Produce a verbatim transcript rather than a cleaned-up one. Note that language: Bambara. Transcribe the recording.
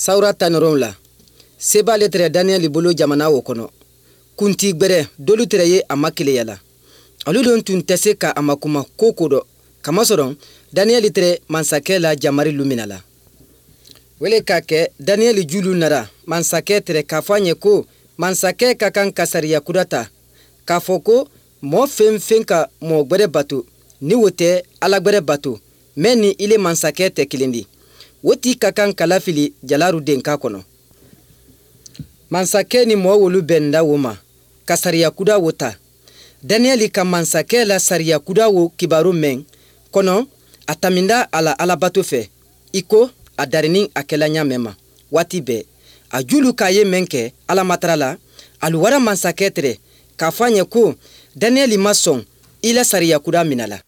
Sawura tan ni wolonwula seba le tɛrɛ Daniyɛli bolo jamana o kɔnɔ. Kunti gbɛrɛ dolu tɛrɛ ye a makeleya la. Olu don tun tɛ se ka a makuma ko ko dɔ. Kamasɔrɔ Daniyɛli tɛrɛ mansakɛ la jamari lumina la. Wele k'a kɛ Daniyɛli julu nara mansakɛ tɛrɛ k'a fɔ a ɲɛ ko mansakɛ ka kan ka sariya kura ta k'a fɔ ko mɔɔ fɛn fɛn ka mɔɔ gbɛrɛ bato ni wo tɛ ala gbɛrɛ bato mɛ ni ile mansakɛ tɛ kelen di, o ti ka kan ka lafili jalaru denka kɔnɔ. Mansakɛ ni mɔɔ wolu bɛnda wo ma ka sariya kuda wo ta. Daniyɛli ka mansakɛ la sariya kuda wo kibaru mɛn kɔnɔ, a taminda a la alabato fɛ i ko a darini a kɛla ɲa mɛn ma waati bɛɛ. A julu k'a ye mɛn kɛ alamatara la, alu wara mansakɛ tɛrɛ k'a fɔ a ɲɛ ko Daniyɛli ma sɔn i la sariya kuda minɛ la.